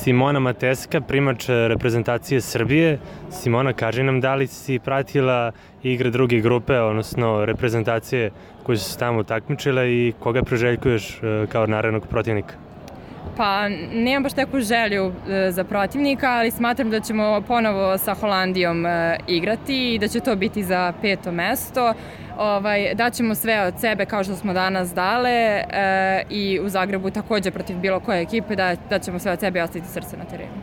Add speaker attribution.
Speaker 1: Simona Mateska, primač reprezentacije Srbije. Simona, kaži nam da li si pratila igre druge grupe, odnosno reprezentacije koje su se tamo takmičile i koga priželjkuješ kao narednog protivnika?
Speaker 2: Pa, nemam baš takvu želju za protivnika, ali smatram da ćemo ponovo sa Holandijom igrati i da će to biti za 5. mesto. Daćemo sve od sebe kao što smo danas dale i u Zagrebu takođe protiv bilo koje ekipe da ćemo sve od sebe i ostaviti srce na terenu.